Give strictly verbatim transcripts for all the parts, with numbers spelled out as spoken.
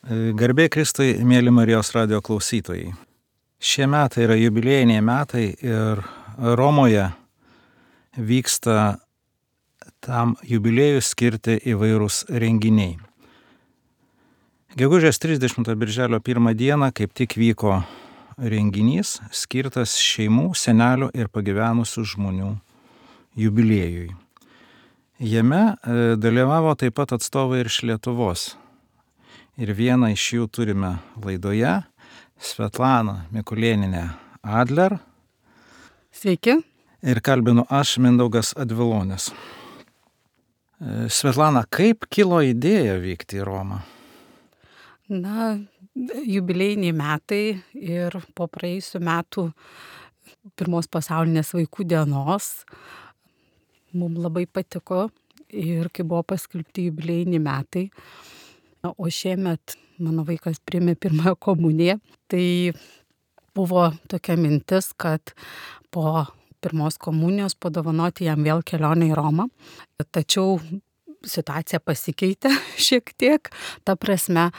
Garbė Kristui, mėly Marijos radijo klausytojai. Šie metai yra jubiliejiniai metai ir Romoje vyksta tam jubiliejui skirti įvairūs renginiai. Gegužės trisdešimtą birželio pirmą dieną kaip tik vyko renginys skirtas šeimų, senelių ir pagyvenusių žmonių jubiliejui. Jame dalyvavo taip pat atstovai ir iš Lietuvos. Ir vieną iš jų turime laidoje, Svetlana Mikulėnienė Adler. Sveiki. Ir kalbinu aš, Mindaugas Advilonis. Svetlana, kaip kilo idėja vykti į Romą? Na, jubiliejiniai metai ir po praėjusių metų pirmos pasaulinės vaikų dienos mums labai patiko ir kai buvo paskelbti jubiliejiniai metai, o šiemet mano vaikas priėmė pirmąją komuniją, tai buvo tokia mintis, kad po pirmos komunijos padovanoti jam vėl kelionę į Romą. Tačiau situacija pasikeitė šiek tiek, ta prasme,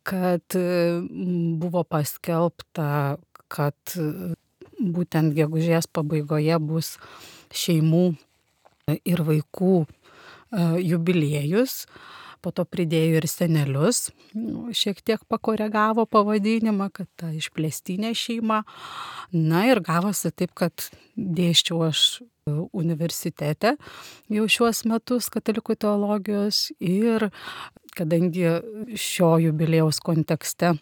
kad buvo paskelbta, kad būtent gegužės pabaigoje bus šeimų ir vaikų jubiliejus. Po to pridėjo ir senelius, šiek tiek pakoregavo pavadinimą, kad ta išplėstinė šeima. Na ir gavosi taip, kad dėsčiau aš universitete jau šiuos metus katalikų teologijos ir kadangi šio jubiliejaus kontekste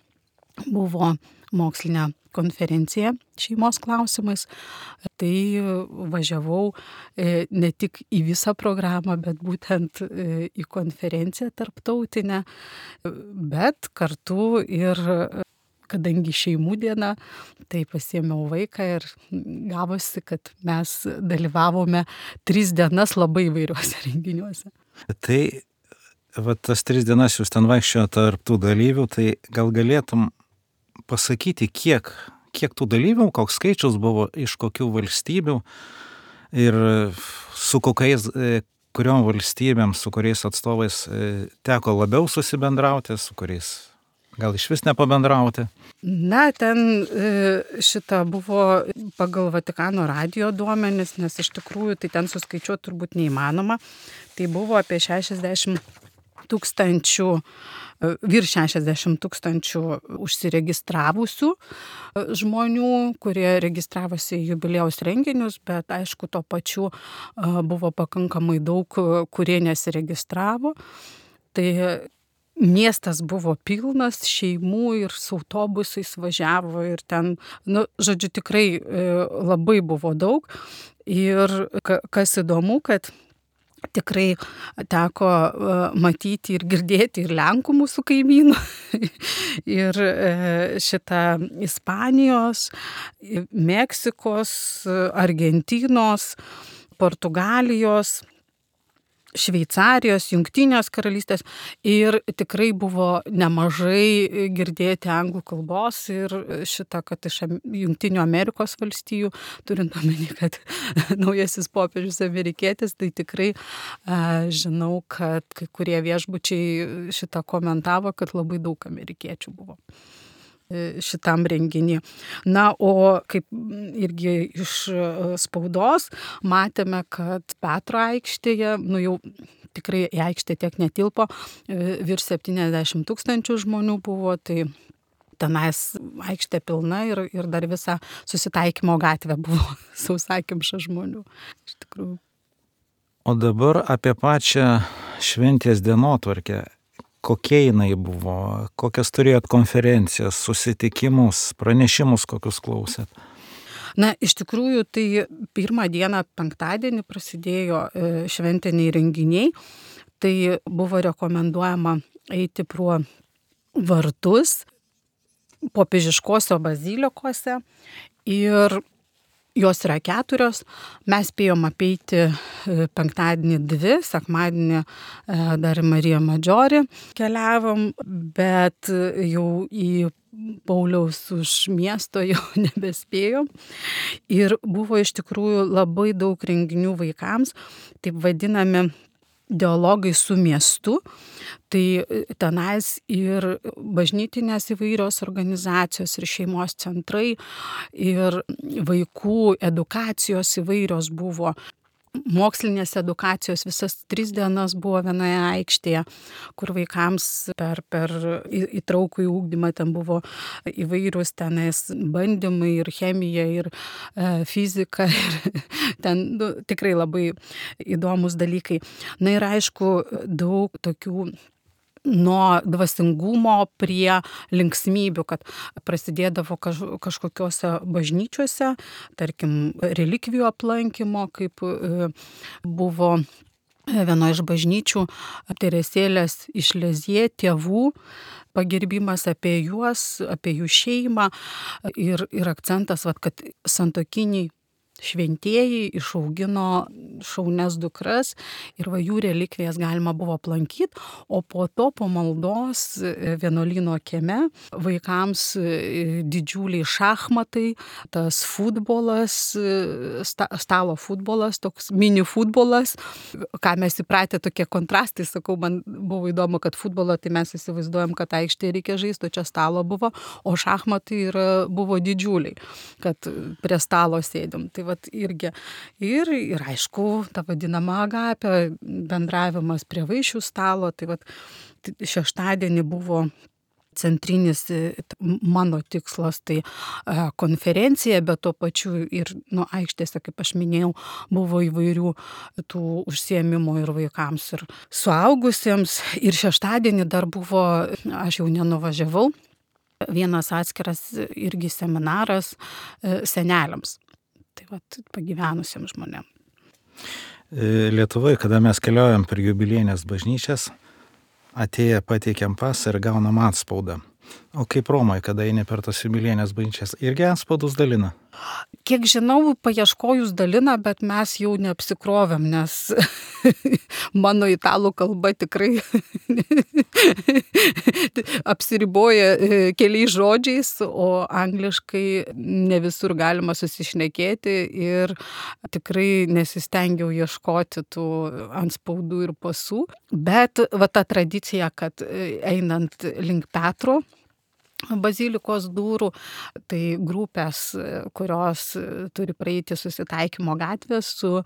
buvo mokslinė konferencija šeimos klausimais, tai važiavau ne tik į visą programą, bet būtent į konferenciją tarptautinę, bet kartu ir kadangi šeimų diena, tai pasiėmiau vaiką ir gavosi, kad mes dalyvavome tris dienas labai įvairiuose renginiuose. Tai va, tas tris dienas jūs ten vaikščiojo tarp tų dalyvių, tai gal galėtum pasakyti, kiek, kiek tų dalyvių, koks skaičius buvo, iš kokių valstybių ir su kokiais, kuriom valstybėm, su kuriais atstovais teko labiau susibendrauti, su kuriais gal iš vis nepabendrauti? Na, ten šita buvo pagal Vatikano radijo duomenis, nes iš tikrųjų tai ten suskaičiuoti turbūt neįmanoma. Tai buvo apie šešiasdešimt tūkstančių, virš šešiasdešimt tūkstančių užsiregistravusių žmonių, kurie registravosi į jubiliejaus renginius, bet aišku, tuo pačiu buvo pakankamai daug, kurie nesiregistravo. Tai miestas buvo pilnas šeimų ir su autobusais važiavo ir ten, nu, žodžiu, tikrai labai buvo daug. Ir kas įdomu, kad tikrai teko matyti ir girdėti ir Lenkų mūsų kaimynų, ir šitą Ispanijos, Meksikos, Argentinos, Portugalijos, Šveicarijos, Jungtinės karalystės ir tikrai buvo nemažai girdėti anglų kalbos ir šitą, kad iš Jungtinių Amerikos valstijų, turint omeny, kad naujasis popiežius amerikietis, tai tikrai a, žinau, kad kai kurie viešbučiai šitą komentavo, kad labai daug amerikiečių buvo šitam renginį. Na, o kaip irgi iš spaudos matėme, kad Petro aikštėje, nu jau tikrai į aikštę tiek netilpo, virš septyniasdešimt tūkstančių žmonių buvo, tai tenais aikštė pilna ir, ir dar visa Susitaikymo gatvė buvo sausakimša žmonių. Iš tikrųjų. O dabar apie pačią šventės dienotvarkę. Kokie jinai buvo, kokias turėjot konferencijas, susitikimus, pranešimus, kokius klausėt? Na, iš tikrųjų, tai pirmą dieną penktadienį prasidėjo šventiniai renginiai. Tai buvo rekomenduojama eiti pro vartus popiežiškose bazilikose ir jos yra keturios. Mes spėjom apeiti penktadienį dvi, sekmadienį dar Marija Madžiorį keliavom, bet jau į Pauliaus už miesto jau nebespėjom. Ir buvo iš tikrųjų labai daug renginių vaikams, taip vadinami dialogai su miestu, tai tenais ir bažnytinės įvairios organizacijos, ir šeimos centrai, ir vaikų edukacijos įvairios buvo. Mokslinės edukacijos visas tris dienas buvo vienoje aikštėje, kur vaikams per, per įtraukų į ūkdymą ten buvo įvairius tenais bandymai ir chemija, ir e, fizika, ir ten nu, tikrai labai įdomus dalykai. Na ir aišku, daug tokių nuo dvasingumo prie linksmybių, kad prasidėdavo kaž, kažkokiuose bažnyčiuose, tarkim, relikvijų aplankymo, kaip e, buvo vieno iš bažnyčių Teresėlės iš Lezie tėvų pagerbimas apie juos, apie jų šeimą ir, ir akcentas, vat, kad santokiniai šventieji išaugino šaunias dukras ir va jų relikvijas galima buvo aplankyti, o po to po maldos vienuolyno kieme vaikams didžiuliai šachmatai, tas futbolas, sta, stalo futbolas, toks mini futbolas, ką mes įpratę tokie kontrastai, sakau, man buvo įdomu, kad futbolo tai mes įsivaizduojam, kad aikštėje reikia žaisti, o čia stalo buvo, o šachmatai yra, buvo didžiuliai, kad prie stalo sėdim. Tai vat irgi. Ir, ir aišku, ta vadinama agapė, bendravimas prie vaišių stalo. Tai vat šeštadienį buvo centrinis mano tikslas, tai konferencija, bet tuo pačiu ir nu, aikštėse, kaip aš minėjau, buvo įvairių tų užsiėmimų ir vaikams, ir suaugusiems. Ir šeštadienį dar buvo, aš jau nenuvažiavau, vienas atskiras irgi seminaras seneliams. Tai vat pagyvenusiems žmonėms. Lietuvoje, kada mes keliaujam per jubiliejines bažnyčias, atėję pateikiam pasą ir gaunam atspaudą. O kaip Romoje, kada eini per tas jubiliejines bažnyčias, irgi atspaudus dalina? Kiek žinau, paieškojus dalina, bet mes jau neapsikrovėm, nes mano italų kalba tikrai apsiriboja keliais žodžiais, o angliškai ne visur galima susišnekėti ir tikrai nesistengiau ieškoti tų antspaudų ir pasų. Bet va ta tradicija, kad einant link Petro bazilikos durų, tai grupės, kurios turi praeiti Susitaikymo gatvę su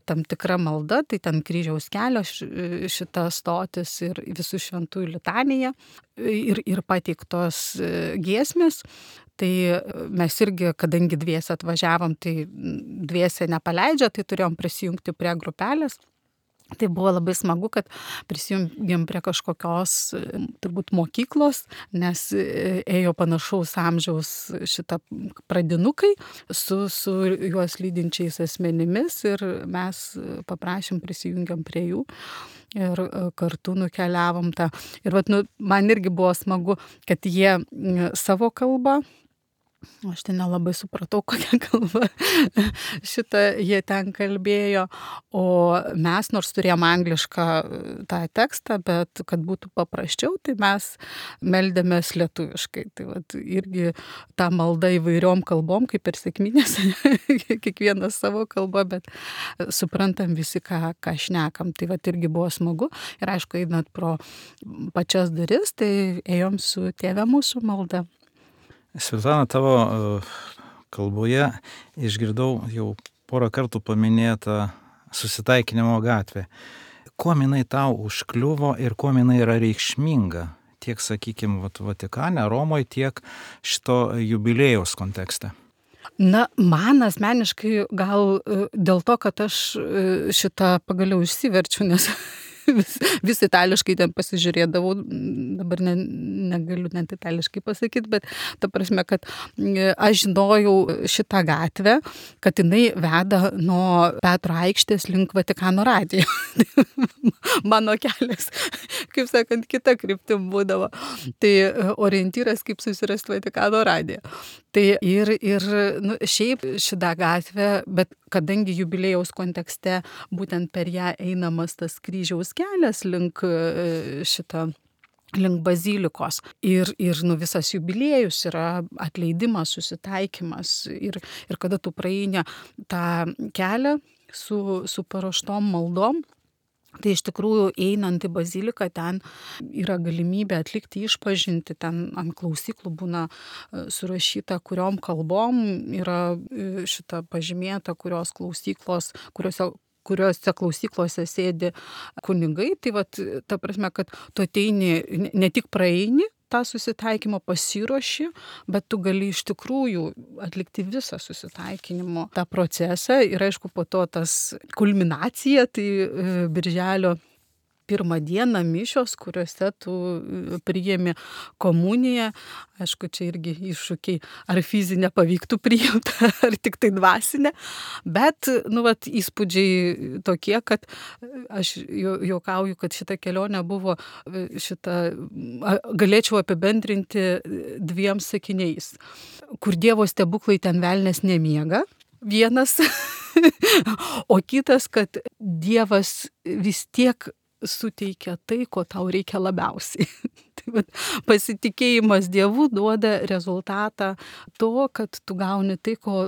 tam tikra malda, tai ten Kryžiaus kelio šita stotis ir visų šventųjų litanija ir, ir pateiktos giesmės. Tai mes irgi, kadangi dviese atvažiavom, tai dviese nepaleidžia, tai turėjom prisijungti prie grupelės. Tai buvo labai smagu, kad prisijungėm prie kažkokios turbūt mokyklos, nes ėjo panašaus amžiaus šitą pradinukai su, su juos lydinčiais asmenimis ir mes paprašėm, prisijungiam prie jų ir kartu nukeliavom tą. Ir vat, nu, man irgi buvo smagu, kad jie savo kalbą, aš ten nelabai supratau, kokią kalbą šitą jie ten kalbėjo, o mes nors turėjom anglišką tą tekstą, bet kad būtų paprasčiau, tai mes meldėmės lietuviškai. Tai vat, irgi tą maldą įvairiom kalbom, kaip ir sekminės, kiekvienas savo kalbą, bet suprantam visi, ką, ką šnekam. Tai vat irgi buvo smagu. Ir aišku, einant pro pačias duris, tai ėjom su Tėve mūsų malda. Svetlana, tavo kalboje išgirdau jau porą kartų paminėtą Susitaikinimo gatvę. Kuo jinai tau užkliuvo ir kuo jinai yra reikšminga? Tiek, sakykime, Vatikane, Romoje, tiek šito jubiliejaus kontekste. Na, man asmeniškai gal dėl to, kad aš šitą pagaliau išsiverčiu, nes vis, vis itališkai ten pasižiūrėdavau, dabar ne, negaliu net itališkai pasakyti, bet ta prasme, kad aš žinojau šitą gatvę, kad jinai veda nuo Petro aikštės link Vatikano radijo. Mano kelias, kaip sakant, kita kryptim būdavo. Tai orientyras, kaip susirasti Vatikano radiją. Tai ir, ir nu, šiaip šitą gatvę, bet kadangi jubiliejaus kontekste būtent per ją einamas tas kryžiaus kelias link šitą, link bazilikos. Ir, ir nu, visas jubiliejus yra atleidimas, susitaikymas. Ir, ir kada tu praeini tą kelią su, su paruoštom maldom, Tai iš tikrųjų einant į baziliką ten yra galimybė atlikti išpažintį, ten ant klausyklų būna surašyta, kuriom kalbom yra šita pažymėta, kurios klausyklos, kuriuose kuriuose klausyklose sėdi kunigai. Tai vat, ta prasme, kad tu ateini, ne tik praeini tą susitaikymą, pasiruoši, bet tu gali iš tikrųjų atlikti visą susitaikinimo tą procesą. Ir aišku, po to tas kulminacija, tai birželio pirmą dieną mišios, kuriuose tu priimi komuniją. Aišku, čia irgi iššūkiai, ar fizinę pavyktų priimti, ar tik tai dvasinę. Bet, nu, vat, įspūdžiai tokie, kad aš juokauju, kad šita kelionė buvo šita, galėčiau apibendrinti dviem sakiniais. Kur Dievo stebuklai, ten velnias nemiega. Vienas. O kitas, kad Dievas vis tiek suteikia tai, ko tau reikia labiausiai. Tai vat, pasitikėjimas Dievu duoda rezultatą to, kad tu gauni tai, ko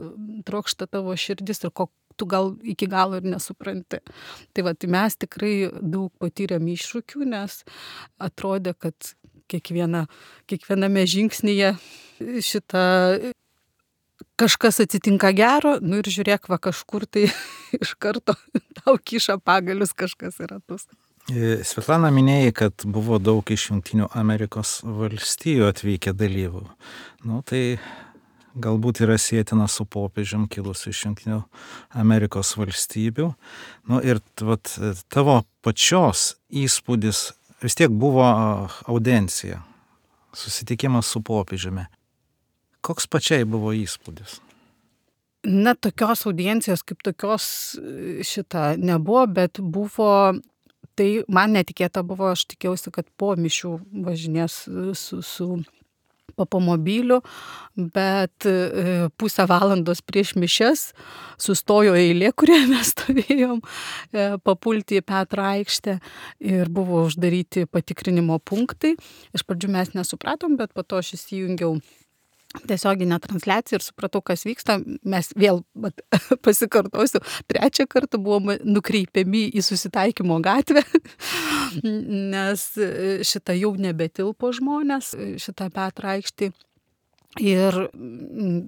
trokšta tavo širdis ir ko tu gal iki galo ir nesupranti. Tai vat, mes tikrai daug patyrėm iššūkių, nes atrodė, kad kiekviena, kiekviename žingsnyje šitą kažkas atsitinka gero, nu ir žiūrėk, va kažkur tai iš karto tau kiša pagalius kažkas į ratus. Svetlana, minėjai, kad buvo daug iš Jungtinių Amerikos valstijų atvykę dalyvių. Nu, tai galbūt yra sėtina su popiežium kilusiu iš Jungtinių Amerikos valstybių. Nu, ir vat, tavo pačios įspūdis vis tiek buvo audiencija, susitikimas su popiežiumi. Koks pačiai buvo įspūdis? Na, tokios audiencijos kaip tokios šita nebuvo, bet buvo, tai man netikėta buvo, aš tikėjausi, kad po mišių važinės su, su papamobiliu, bet pusę valandos prieš mišias sustojo eilė, kurioje mes stovėjom, papulti į Petro aikštę ir buvo uždaryti patikrinimo punktai. Iš pradžių mes nesupratom, bet po to aš įsijungiau tiesioginę transliaciją ir supratau, kas vyksta. Mes vėl bet, pasikartosiu, trečią kartą buvome nukreipiami į susitaikymo gatvę, nes šitą jau nebetilpo žmonės, šitą Petro aikštį. Ir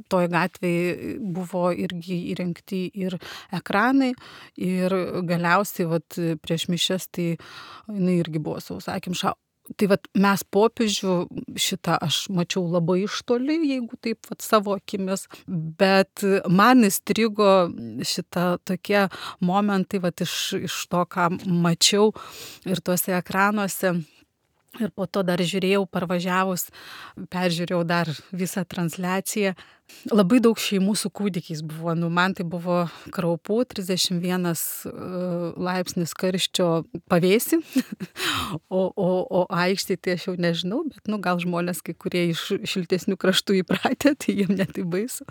toj gatvėje buvo irgi įrengti ir ekranai, ir galiausiai vat, prieš mišias tai jinai irgi buvo sausakimša. Tai vat, mes popiežių šitą aš mačiau labai iš toli, jeigu taip vat, savo akimis, bet man įstrigo šitą tokie momentai vat, iš, iš to, ką mačiau ir tuose ekranuose. Ir po to dar žiūrėjau, parvažiavus, peržiūrėjau dar visą transliaciją. Labai daug šeimų su kūdikiais buvo. Nu, man tai buvo kraupu, trisdešimt vienas laipsnis karščio pavėsį, o, o, o aikštėje tai aš jau nežinau, bet nu, gal žmonės, kai kurie iš šiltesnių kraštų įpratę, tai jiem netai baisu.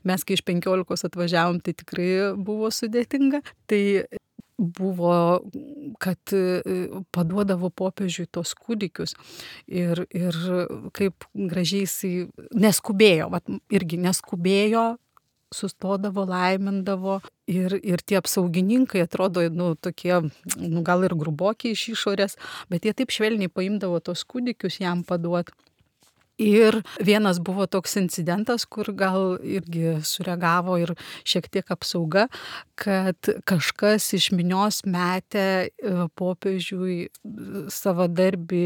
Mes, kai iš penkiolikos atvažiavom, tai tikrai buvo sudėtinga. Tai buvo, kad paduodavo popiežiui tos kūdikius ir, ir kaip gražiai jisai neskubėjo, vat, irgi neskubėjo, sustodavo, laimindavo ir, ir tie apsaugininkai atrodo, nu, tokie, nu, gal ir grubokiai iš išorės, bet jie taip švelniai paimdavo tos kūdikius jam paduot. Ir vienas buvo toks incidentas, kur gal irgi sureagavo ir šiek tiek apsauga, kad kažkas iš minios metė popiežiui savadarbį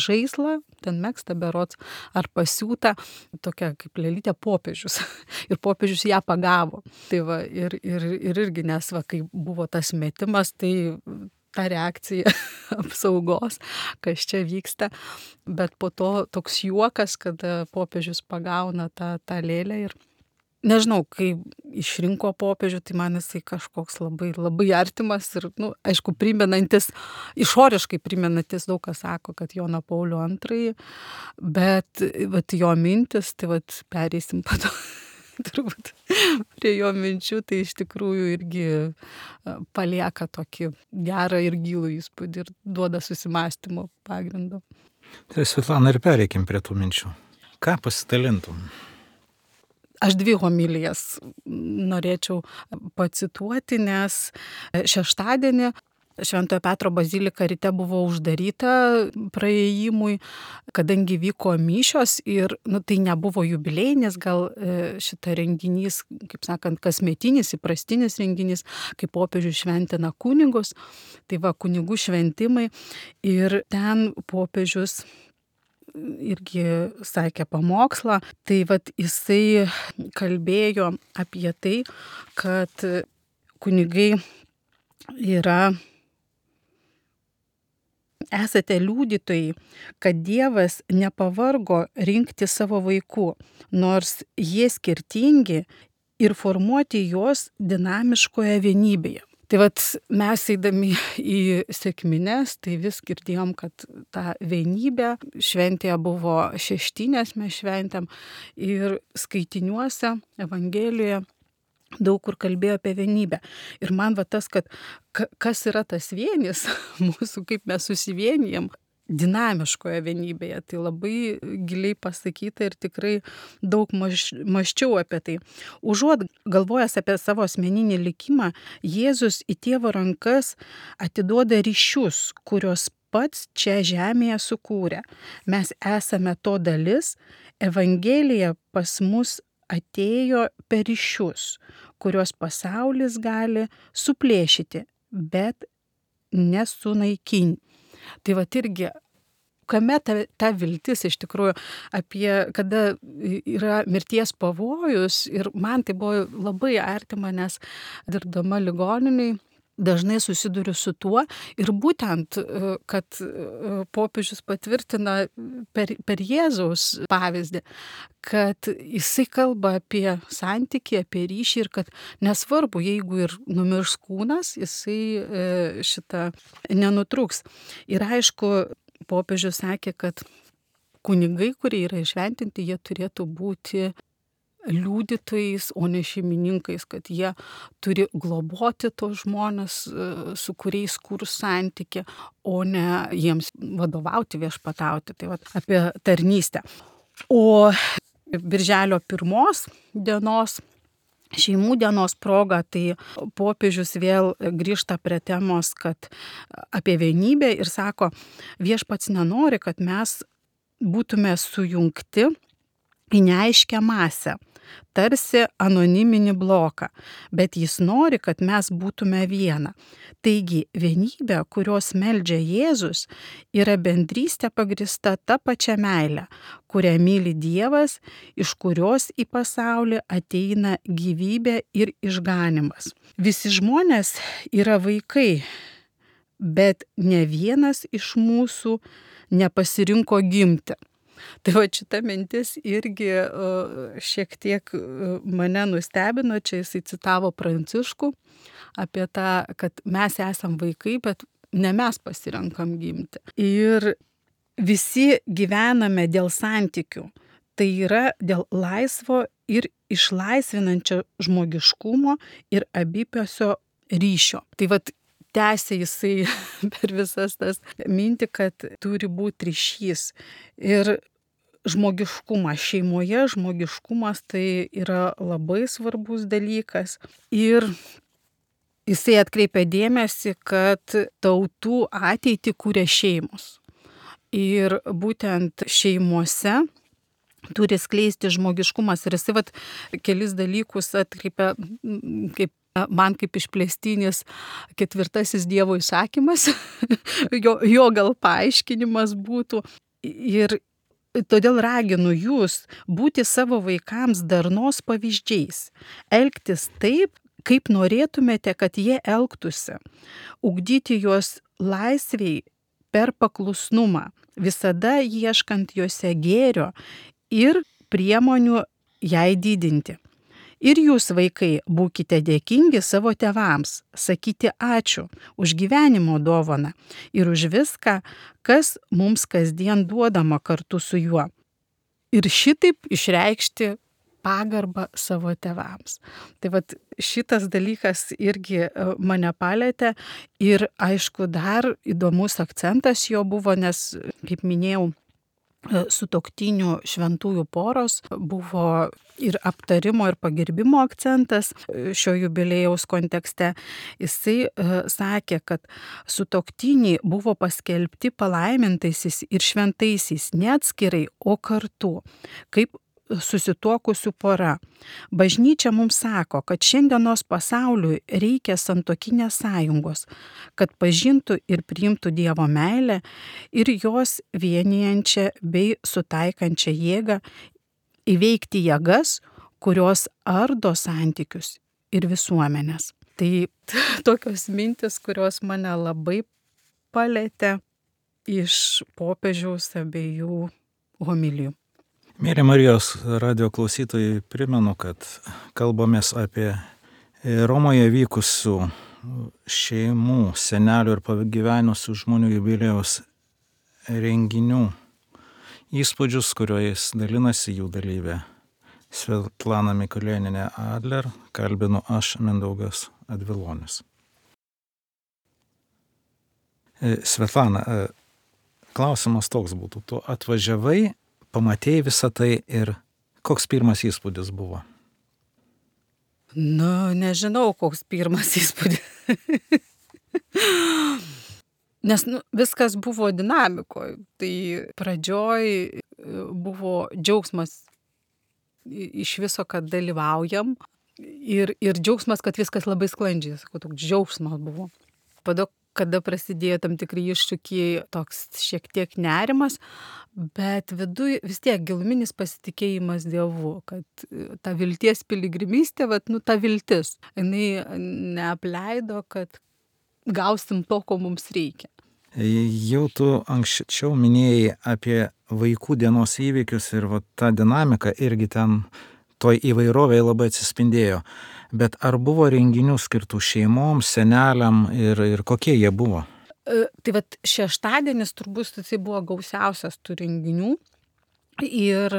žaislą, ten megztą berods, ar pasiūtą, tokia kaip lėlytė popiežius. Ir popiežius ją pagavo. Tai va, ir, ir, ir irgi, nes va, kai buvo tas metimas, tai ta reakcija apsaugos, kas čia vyksta, bet po to toks juokas, kada popiežius pagauna tą, tą lėlę ir nežinau, kai išrinko popiežių, tai man jisai kažkoks labai, labai artimas ir, nu, aišku, primenantis, išoriškai primenantis daug kas sako, kad Joną Paulių antrąjį, bet vat, jo mintis, tai vat, pereisim po to. Turbūt prie jo minčių, tai iš tikrųjų irgi palieka tokį gerą ir gilų įspūdį ir duoda susimąstymo pagrindą. Tai Svetlana, ir pereikim prie tų minčių. Ką pasidalintum? Aš dvi homilijas norėčiau pacituoti, nes šeštadienį Šventojo Petro bazilika ryte buvo uždaryta praėjimui, kadangi vyko mišios ir nu, tai nebuvo jubiliejinis, gal šitą renginys, kaip sakant, kasmetinis, įprastinis renginys, kaip popiežius šventina kunigus, tai va kunigų šventimai ir ten popiežius irgi sakė pamokslą, tai vat jisai kalbėjo apie tai, kad kunigai yra, esate liudytojai, kad Dievas nepavargo rinkti savo vaikų, nors jie skirtingi ir formuoti juos dinamiškoje vienybėje. Tai vat mes eidami į sekmines, tai vis girdėjom, kad ta vienybė šventėje buvo šeštinės, mes šventėm ir skaitiniuose, Evangelijoje daug kur kalbėjo apie vienybę. Ir man va tas, kad kas yra tas vienis mūsų, kaip mes susivienijam dinamiškoje vienybėje, tai labai giliai pasakyta ir tikrai daug maž, maščiau apie tai. Užuot galvojęs apie savo asmeninį likimą, Jėzus į Tėvo rankas atiduoda ryšius, kurios pats čia žemėje sukūrė. Mes esame to dalis, Evangelija pas mus atėjo per ryšius, kuriuos pasaulis gali suplėšyti, bet nesunaikinti. Tai va irgi, kame ta, ta viltis iš tikrųjų apie, kada yra mirties pavojus ir man tai buvo labai artima, nes dirbdama ligoniniai dažnai susiduriu su tuo ir būtent, kad popiežius patvirtina per, per Jėzaus pavyzdį, kad jisai kalba apie santykį, apie ryšį ir kad nesvarbu, jeigu ir numirs kūnas, jisai šitą nenutrūks. Ir aišku, popiežius sakė, kad kunigai, kurie yra išventinti, jie turėtų būti liudytojais, o ne šeimininkais, kad jie turi globoti tos žmonės, su kuriais kurs santykį, o ne jiems vadovauti, viešpatauti. Tai va, apie tarnystę. O birželio pirmos dienos, šeimų dienos proga, tai popiežius vėl grįžta prie temos, kad apie vienybę ir sako, viešpats nenori, kad mes būtume sujungti į neaiškę masę, tarsi anoniminį bloką, bet jis nori, kad mes būtume viena. Taigi, vienybė, kurios meldžia Jėzus, yra bendrystė pagrįsta ta pačia meile, kurią myli Dievas, iš kurios į pasaulį ateina gyvybė ir išganimas. Visi žmonės yra vaikai, bet ne vienas iš mūsų nepasirinko gimti. Tai va šita mintis irgi šiek tiek mane nustebino, čia jisai citavo Pranciškų apie tą, kad mes esam vaikai, bet ne mes pasirenkam gimti. Ir visi gyvename dėl santykių, tai yra dėl laisvo ir išlaisvinančio žmogiškumo ir abipusio ryšio. Tai vat tęsė jisai per visas tas mintį, kad turi būti ryšys. Ir žmogiškumas šeimoje, žmogiškumas tai yra labai svarbus dalykas. Ir jisai atkreipia dėmesį, kad tautų ateitį kūrė šeimos. Ir būtent šeimose turi skleisti žmogiškumas. Ir jisai vat kelis dalykus atkreipia, kaip man kaip išplėstinis ketvirtasis Dievo įsakymas, jo, jo gal paaiškinimas būtų. Ir todėl raginu jūs būti savo vaikams darnos pavyzdžiais, elgtis taip, kaip norėtumėte, kad jie elgtųsi, ugdyti juos laisviai per paklusnumą, visada ieškant juose gėrio ir priemonių jai didinti. Ir jūs, vaikai, būkite dėkingi savo tėvams, sakyti ačiū už gyvenimo dovaną ir už viską, kas mums kasdien duodama kartu su juo. Ir šitaip išreikšti pagarbą savo tėvams. Tai vat šitas dalykas irgi mane palėtė ir aišku dar įdomus akcentas jo buvo, nes, kaip minėjau, sutuoktinių šventųjų poros buvo ir aptarimo, ir pagerbimo akcentas šio jubiliejaus kontekste. Jisai sakė, kad sutuoktiniai buvo paskelbti palaimintaisiais ir šventaisiais ne atskirai, o kartu, kaip susituokusių pora. Bažnyčia mums sako, kad šiandienos pasauliui reikia santuokinės sąjungos, kad pažintų ir priimtų Dievo meilę ir jos vienijančią bei sutaikančią jėgą įveikti jėgas, kurios ardo santykius ir visuomenės. Tai tokios mintis, kurios mane labai palietė iš popiežiaus abiejų homilijų. Mėly Marijos radio klausytojai, primenu, kad kalbamės apie Romoje vykusių šeimų, senelių ir pagyvenusių žmonių jubiliejaus renginių įspūdžius, kuriais dalinasi jų dalyvė Svetlana Mikulėnienė Adler, kalbinu aš, Mindaugas Advilonis. Svetlana, klausimas toks būtų, tu atvažiavai, pamatėjai visą tai ir koks pirmas įspūdis buvo? Nu, nežinau, koks pirmas įspūdis. Nes nu, viskas buvo dinamikoje. Tai pradžioj buvo džiaugsmas iš viso, kad dalyvaujam. Ir, ir džiaugsmas, kad viskas labai sklandžiai. Sakau, toks džiaugsmas buvo. Pada, kada prasidėjo tam tikri iššūkiai, toks šiek tiek nerimas, bet viduj vis tiek giluminis pasitikėjimas Dievu, kad ta vilties piligrimystė, vat, nu, ta viltis, jinai neapleido, kad gausim to, ko mums reikia. Jau tu anksčiau minėjai apie vaikų dienos įvykius ir vat, ta dinamika irgi ten toj įvairovėje labai atsispindėjo. Bet ar buvo renginių skirtų šeimoms, seneliam ir, ir kokie jie buvo? E, tai vat šeštadienis turbūt tai buvo gausiausias tų renginių. Ir,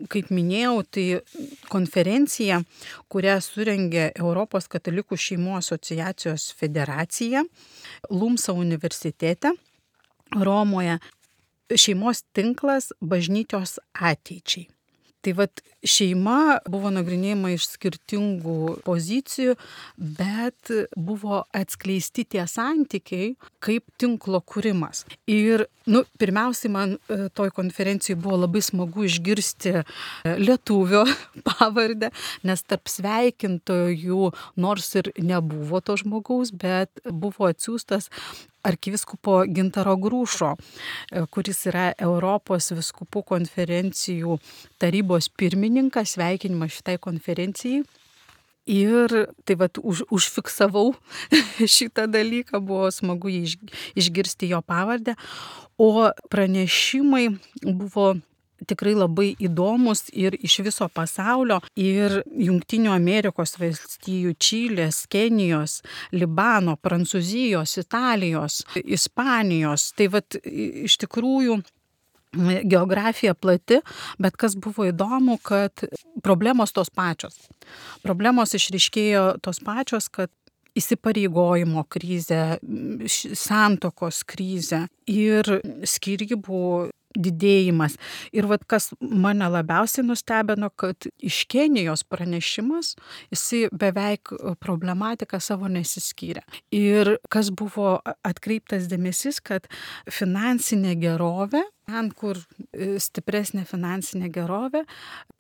kaip minėjau, tai konferencija, kurią surengė Europos katalikų šeimų asociacijos federacija Lumsa universitete Romoje, šeimos tinklas bažnyčios ateičiai. Tai vat šeima buvo nagrinėjama iš skirtingų pozicijų, bet buvo atskleisti tie santykiai kaip tinklo kūrimas. Ir nu, pirmiausiai man toj konferencijai buvo labai smagu išgirsti lietuvio pavardę, nes tarp sveikintojų nors ir nebuvo to žmogaus, bet buvo atsiųstas arkivyskupo Gintaro Grušo, kuris yra Europos vyskupų konferencijų tarybos pirmininkas, sveikinimas šitai konferencijai. Ir tai vat už, užfiksavau šitą dalyką, buvo smagu iš, išgirsti jo pavardę, o pranešimai buvo tikrai labai įdomus ir iš viso pasaulio, ir Jungtinių Amerikos valstijų, Čilės, Kenijos, Libano, Prancūzijos, Italijos, Ispanijos. Tai vat iš tikrųjų geografija plati, bet kas buvo įdomu, kad problemos tos pačios. Problemos išryškėjo tos pačios, kad įsipareigojimo krizė, santuokos krizė ir skyrybų didėjimas. Ir vat kas mane labiausiai nustebino, kad iš Kenijos pranešimas, jisai beveik problematiką savo nesiskyrė. Ir kas buvo atkreiptas dėmesys, kad finansinė gerovė, ten, kur stipresnė finansinė gerovė,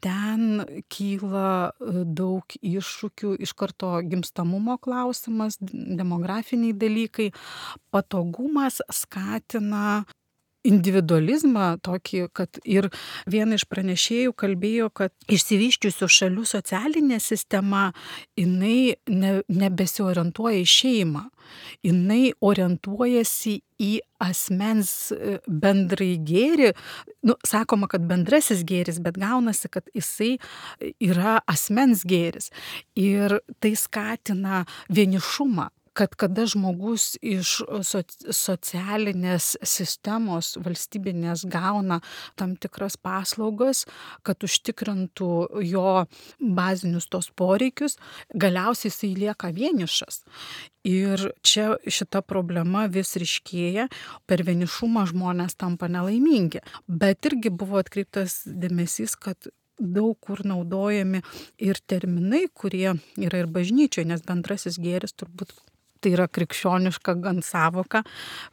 ten kyla daug iššūkių, iš karto gimstamumo klausimas, demografiniai dalykai, patogumas skatina individualizmą tokį, kad ir viena iš pranešėjų kalbėjo, kad išsivysčiusių šalių socialinė sistema, jinai ne, nebesiorientuoja į šeimą, jinai orientuojasi į asmens bendrai gėrį. Nu, sakoma, kad bendrasis gėris, bet gaunasi, kad jisai yra asmens gėris. Ir tai skatina vienišumą. kad kada žmogus iš socialinės sistemos valstybinės gauna tam tikras paslaugas, kad užtikrintų jo bazinius tos poreikius, galiausiai jisai lieka vienišas. Ir čia šita problema vis ryškėja, per vienišumą žmonės tampa nelaimingi. Bet irgi buvo atkreiptas dėmesys, kad daug kur naudojami ir terminai, kurie yra ir bažnyčioje, nes bendrasis gėris turbūt tai yra krikščioniška gan savoka,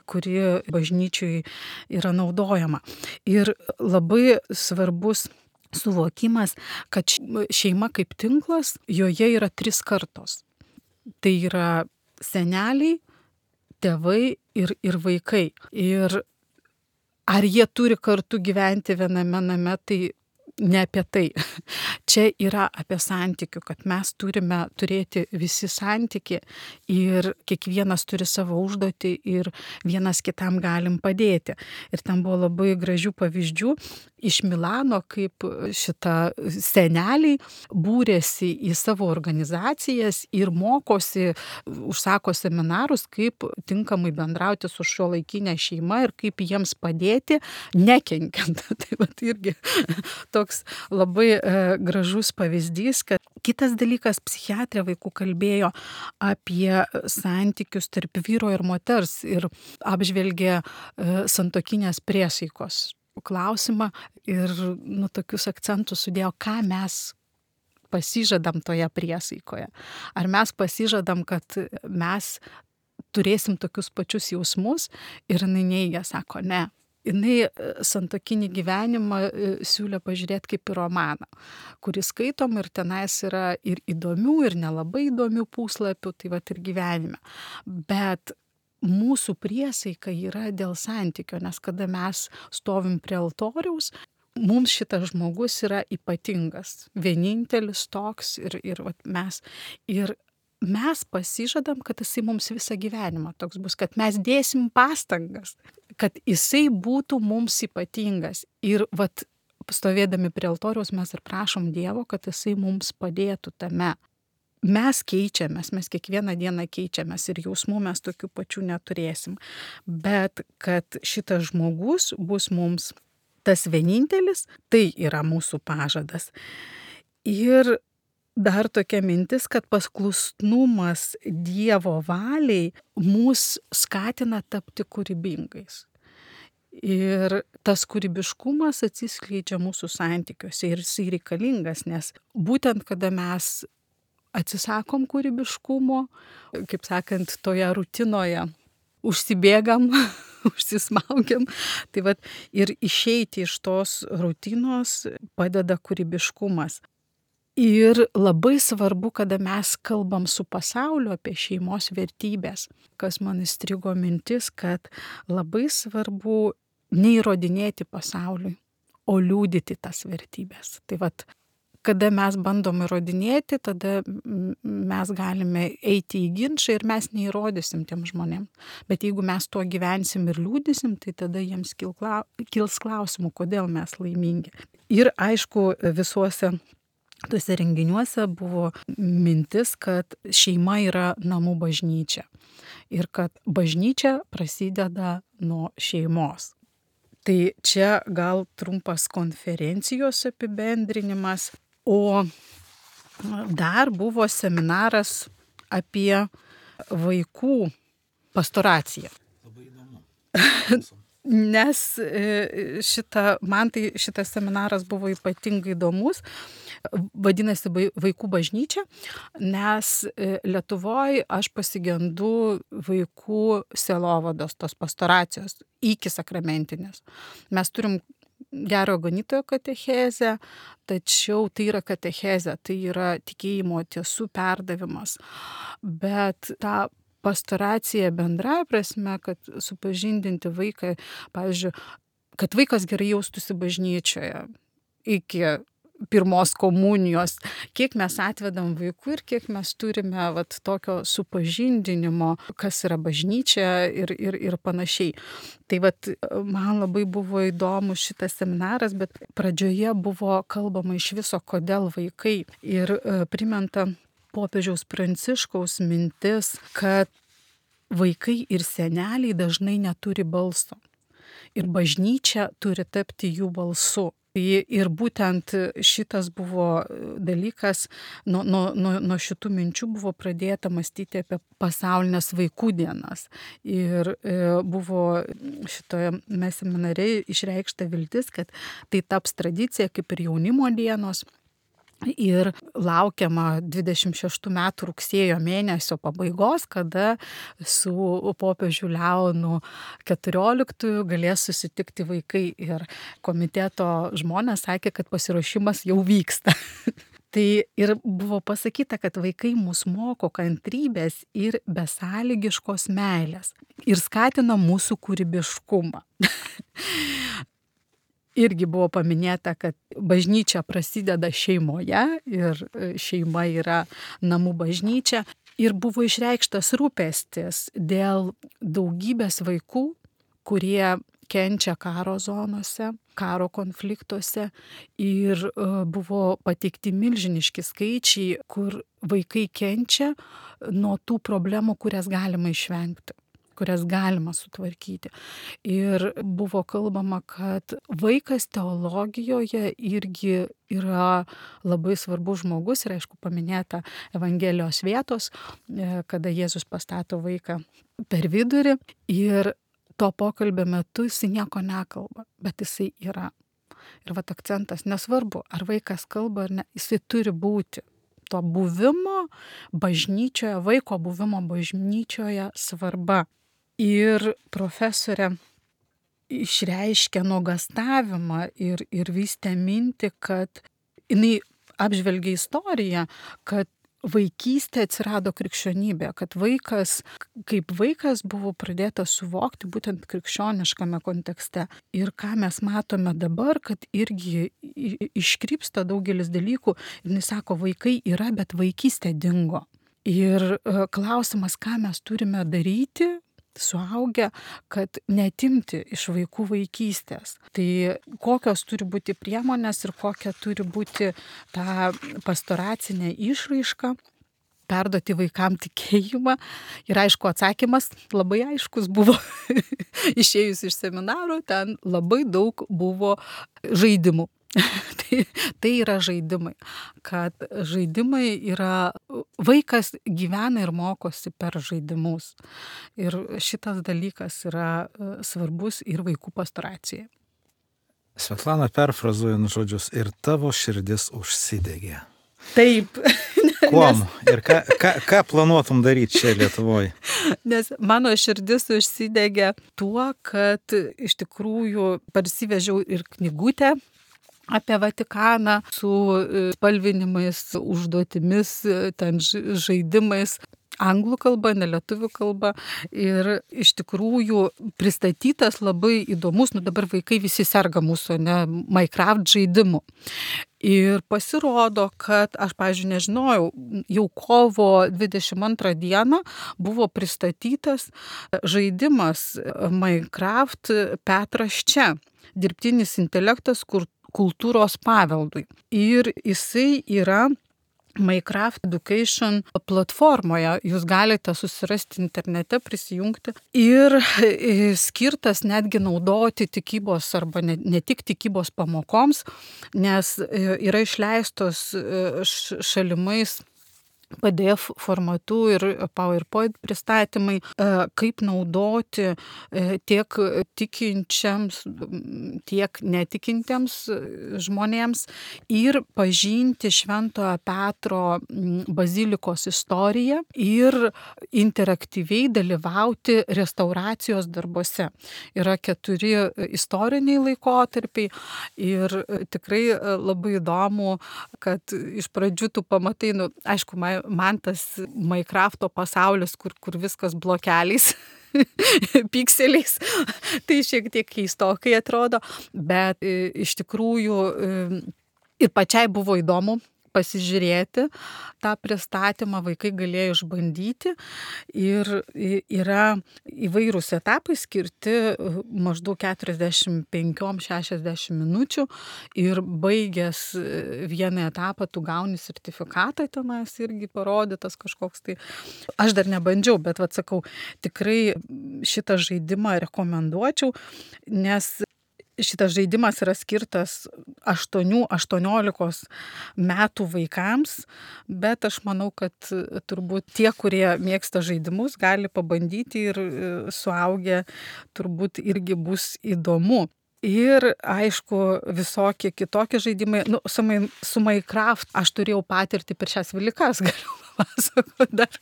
kuri bažnyčiai yra naudojama. Ir labai svarbus suvokimas, kad šeima kaip tinklas, joje yra tris kartos. Tai yra seneliai, tėvai ir, ir vaikai. Ir ar jie turi kartu gyventi viename name, tai ne apie tai. Čia yra apie santykių, kad mes turime turėti visi santyki ir kiekvienas turi savo užduotį ir vienas kitam galim padėti. Ir ten buvo labai gražių pavyzdžių iš Milano, kaip šita seneliai būrėsi į savo organizacijas ir mokosi, užsako seminarus, kaip tinkamai bendrauti su šiuolaikinė šeima ir kaip jiems padėti, nekenkiant. Tai vat irgi toks labai e, gražus pavyzdys, kad kitas dalykas, psichiatrė vaikų kalbėjo apie santykius tarp vyro ir moters ir apžvelgė e, santuokinės priesaikos klausimą ir nu, tokius akcentus sudėjo, ką mes pasižadam toje priesaikoje. Ar mes pasižadam, kad mes turėsim tokius pačius jausmus ir jinai neigia, sako, ne. Jinai santuokinį gyvenimą siūlė pažiūrėti kaip į romaną, kurį skaitom ir tenais yra ir įdomių, ir nelabai įdomių puslapių, tai vat ir gyvenime. Bet mūsų priesaika yra dėl santykio, nes kada mes stovim prie altoriaus, mums šitas žmogus yra ypatingas, vienintelis toks ir, ir vat mes. Ir mes pasižadam, kad jisai mums visą gyvenimą toks bus, kad mes dėsim pastangas, kad jisai būtų mums ypatingas. Ir vat stovėdami prie altoriaus mes ir prašom Dievo, kad jisai mums padėtų tame. Mes keičiamės, mes kiekvieną dieną keičiamės ir jausmų mes tokių pačių neturėsim. Bet kad šitas žmogus bus mums tas vienintelis, tai yra mūsų pažadas. Ir dar tokia mintis, kad paklusnumas Dievo valiai mus skatina tapti kūrybingais. Ir tas kūrybiškumas atsiskleidžia mūsų santykiuose ir jisai reikalingas, nes būtent kada mes atsisakom kūrybiškumo, kaip sakant, toje rutinoje užsibėgam, užsismaugiam, tai vat ir išeiti iš tos rutinos padeda kūrybiškumas. Ir labai svarbu, kada mes kalbam su pasauliu apie šeimos vertybės, kas man įstrigo mintis, kad labai svarbu neįrodinėti pasauliui, o liudyti tas vertybės. Tai vat, kada mes bandom įrodinėti, tada mes galime eiti į ginčą ir mes neįrodysim tiem žmonėm. Bet jeigu mes tuo gyvensim ir liūdysim, tai tada jiems kils klausimų, kodėl mes laimingi. Ir aišku, visuose tuose renginiuose buvo mintis, kad šeima yra namų bažnyčia ir kad bažnyčia prasideda nuo šeimos. Tai čia gal trumpas konferencijos apibendrinimas, o dar buvo seminaras apie vaikų pastoraciją. Labai įdomu. Nes šita, man tai šitas seminaras buvo ypatingai įdomus, vadinasi vaikų bažnyčia, nes Lietuvoje aš pasigendu vaikų sielovados, tos pastoracijos, iki sakramentinės. Mes turim gerojo ganytojo katechezę, tačiau tai yra katechezė, tai yra tikėjimo tiesų perdavimas. Bet ta pastoracija bendrąja prasme, kad supažindinti vaiką, pavyzdžiui, kad vaikas gerai jaustųsi bažnyčioje iki pirmos komunijos, kiek mes atvedam vaikų ir kiek mes turime vat, tokio supažindinimo, kas yra bažnyčia ir, ir, ir panašiai. Tai vat, man labai buvo įdomu šitas seminaras, bet pradžioje buvo kalbama iš viso, kodėl vaikai. Ir e, primenta popiežiaus Pranciškaus mintis, kad vaikai ir seneliai dažnai neturi balso. Ir bažnyčia turi tapti jų balsu. Ir būtent šitas buvo dalykas, nuo, nuo, nuo, nuo šitų minčių buvo pradėta mąstyti apie pasaulinės vaikų dienas. Ir buvo šitoje seminare išreikšta viltis, kad tai taps tradicija kaip ir jaunimo dienos. Ir laukiama dvidešimt šeštų metų rugsėjo mėnesio pabaigos, kada su popiežiu Leonu keturioliktųjų galės susitikti vaikai. Ir komiteto žmonės sakė, kad pasiruošimas jau vyksta. Tai ir buvo pasakyta, kad vaikai mus moko kantrybės ir besąlygiškos meilės ir skatina mūsų kūrybiškumą. Irgi buvo paminėta, kad bažnyčia prasideda šeimoje ir šeima yra namų bažnyčia. Ir buvo išreikštas rūpestis dėl daugybės vaikų, kurie kenčia karo zonose, karo konfliktuose. Ir buvo pateikti milžiniški skaičiai, kur vaikai kenčia nuo tų problemų, kurias galima išvengti, kurias galima sutvarkyti. Ir buvo kalbama, kad vaikas teologijoje irgi yra labai svarbus žmogus ir aišku paminėta Evangelijos vietos, kada Jėzus pastato vaiką per vidurį ir to pokalbio metu jisai nieko nekalba, bet jisai yra. Ir vat akcentas, nesvarbu, ar vaikas kalba ar ne, jisai turi būti. To buvimo bažnyčioje, vaiko buvimo bažnyčioje svarba. Ir profesorė išreiškė nuogąstavimą ir, ir vystė mintį, kad jinai apžvelgia istoriją, kad vaikystė atsirado krikščionybė, kad vaikas, kaip vaikas buvo pradėtas suvokti būtent krikščioniškame kontekste. Ir ką mes matome dabar, kad irgi iškrypsta daugelis dalykų ir jis sako, vaikai yra, bet vaikystė dingo. Ir klausimas, ką mes turime daryti, suaugę, kad netimti iš vaikų vaikystės. Tai kokios turi būti priemonės ir kokia turi būti ta pastoracinė išraiška, perduoti vaikam tikėjimą. Ir aišku, atsakymas labai aiškus buvo išėjus iš seminaro, ten labai daug buvo žaidimų. tai, tai yra žaidimai, kad žaidimai yra, vaikas gyvena ir mokosi per žaidimus. Ir šitas dalykas yra svarbus ir vaikų pastoracijai. Svetlana, perfrazuojant žodžius, ir tavo širdis užsidegė. Taip. Kuom? Ir ką, ką, ką planuotum daryti čia Lietuvoje? Nes mano širdis užsidegė tuo, kad iš tikrųjų parsivežiau ir knygutę apie Vatikaną su spalvinimais, užduotimis, ten žaidimais. Anglų kalba, ne lietuvių kalba. Ir iš tikrųjų pristatytas labai įdomus, nu dabar vaikai visi serga mūsų, ne, Minecraft žaidimu. Ir pasirodo, kad aš, pavyzdžiui, nežinojau, jau kovo dvidešimt antrą dieną buvo pristatytas žaidimas Minecraft Petras čia, dirbtinis intelektas kultūros paveldui. Ir jisai yra Minecraft Education platformoje, jūs galite susirasti internete, prisijungti ir skirtas netgi naudoti tikybos arba ne, ne tik tikybos pamokoms, nes yra išleistos šalimais P D F formatu ir PowerPoint pristatymai, kaip naudoti tiek tikinčiams, tiek netikintiems žmonėms ir pažinti Šventojo Petro bazilikos istoriją ir interaktyviai dalyvauti restauracijos darbuose. Yra keturi istoriniai laikotarpiai ir tikrai labai įdomu, kad iš pradžių tu pamatai, nu, aišku, man man tas Minecrafto pasaulis, kur, kur viskas blokeliais, pikseliais, tai šiek tiek keistokai atrodo, bet iš tikrųjų ir pačiai buvo įdomu pasižiūrėti tą pristatymą, vaikai galėjo išbandyti ir yra įvairūs etapai skirti maždaug keturiasdešimt penki šešiasdešimt minučių ir baigęs vieną etapą tu gauni sertifikatą, tenais irgi parodytas kažkoks tai. Aš dar nebandžiau, bet vat sakau, tikrai šitą žaidimą rekomenduočiau, nes šitas žaidimas yra skirtas aštuonių aštuoniolikos metų vaikams, bet aš manau, kad turbūt tie, kurie mėgsta žaidimus, gali pabandyti ir suaugę turbūt irgi bus įdomu. Ir aišku, visokie kitokie žaidimai. Nu, su, su Minecraft aš turėjau patirtį per šias Velykas, galiu papasakoti dar.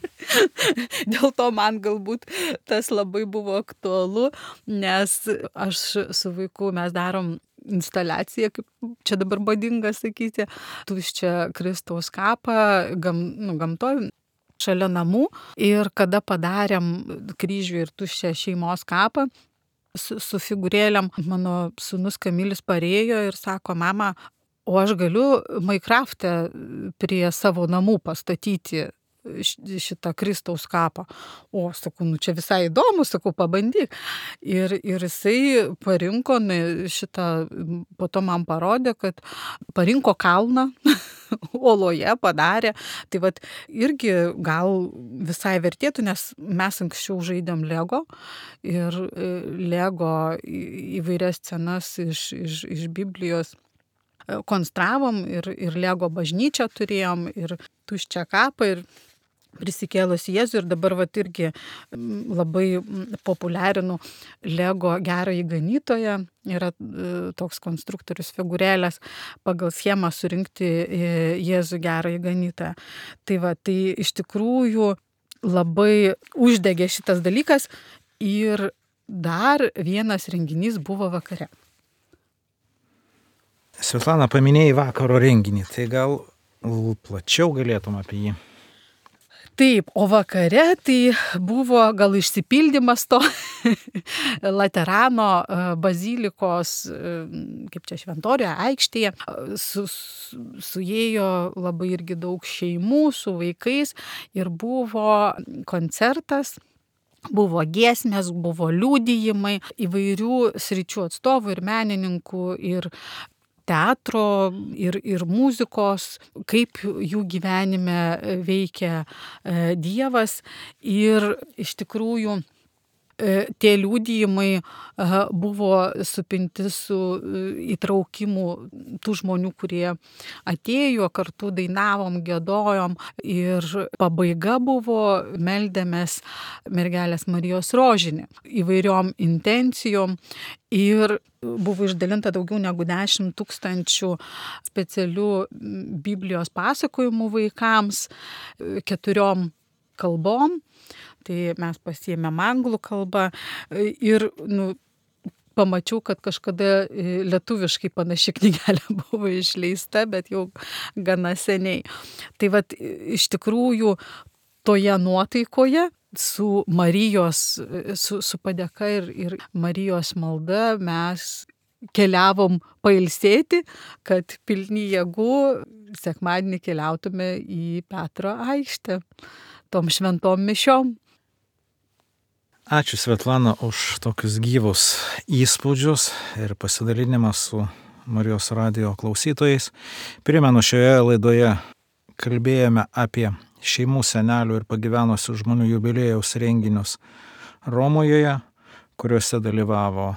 Dėl to man galbūt tas labai buvo aktualu, nes aš su vaiku mes darom instaliaciją, kaip čia dabar badinga sakyti, tuščią Kristaus kapą gam, nu, gamtoj, šalia namų. Ir kada padarėm kryžių ir tuščią šeimos kapą, su, su figūrėlėm, mano sūnus Kamilis parėjo ir sako, mama, o aš galiu Minecraft'e prie savo namų pastatyti šitą Kristaus kapą. O, sakau, nu čia visai įdomu, sakau, pabandyk. Ir, ir jisai parinko šitą, po to man parodė, kad parinko kalną, oloje padarė. Tai vat irgi gal visai vertėtų, nes mes anksčiau žaidėm Lego ir Lego įvairias scenas iš, iš, iš Biblijos konstravom ir, ir Lego bažnyčią turėjom ir tuščią kapą ir prisikėlus Jėzų ir dabar vat irgi labai populiarinu Lego gerąjį ganytoją. Yra toks konstruktorius figūrėlės pagal schemą surinkti Jėzų gerąjį ganytoją. Tai va, tai iš tikrųjų labai uždegė šitas dalykas ir dar vienas renginys buvo vakare. Svetlana, paminėjai vakaro renginį, tai gal plačiau galėtum apie jį? Taip, o vakare tai buvo gal išsipildymas to Laterano bazilikos, kaip čia Šventoriuje aikštėje, su, su, suėjo labai irgi daug šeimų su vaikais ir buvo koncertas. Buvo giesmės, buvo liudijimai įvairių sričių atstovų ir menininkų ir teatro ir, ir muzikos, kaip jų gyvenime veikia Dievas. Ir iš tikrųjų tie liudijimai buvo supinti su įtraukimu tų žmonių, kurie atėjo, kartu dainavom, giedojom ir pabaiga buvo meldėmės mergelės Marijos rožinį įvairiom intencijom ir buvo išdalinta daugiau negu dešimt tūkstančių specialių Biblijos pasakojimų vaikams keturiom kalbom. Tai mes pasiėmėm anglų kalbą ir nu, pamačiau, kad kažkada lietuviškai panaši knygelė buvo išleista, bet jau gana seniai. Tai vat iš tikrųjų toje nuotaikoje su Marijos, su, su padėka ir, ir Marijos malda mes keliavom pailsėti, kad pilni jėgų sekmadienį keliautume į Petro aikštę tom šventom mišiom. Ačiū Svetlana už tokius gyvus įspūdžius ir pasidalinimą su Marijos radijo klausytojais. Primenu, šioje laidoje kalbėjome apie šeimų senelių ir pagyvenusių žmonių jubiliejaus renginius Romoje, kuriuose dalyvavo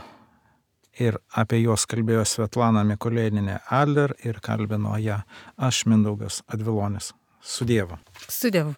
ir apie juos kalbėjo Svetlana Mikulėnienė Adler ir kalbino ją aš, Mindaugas Advilonis. Su Dievu. Su Dievu.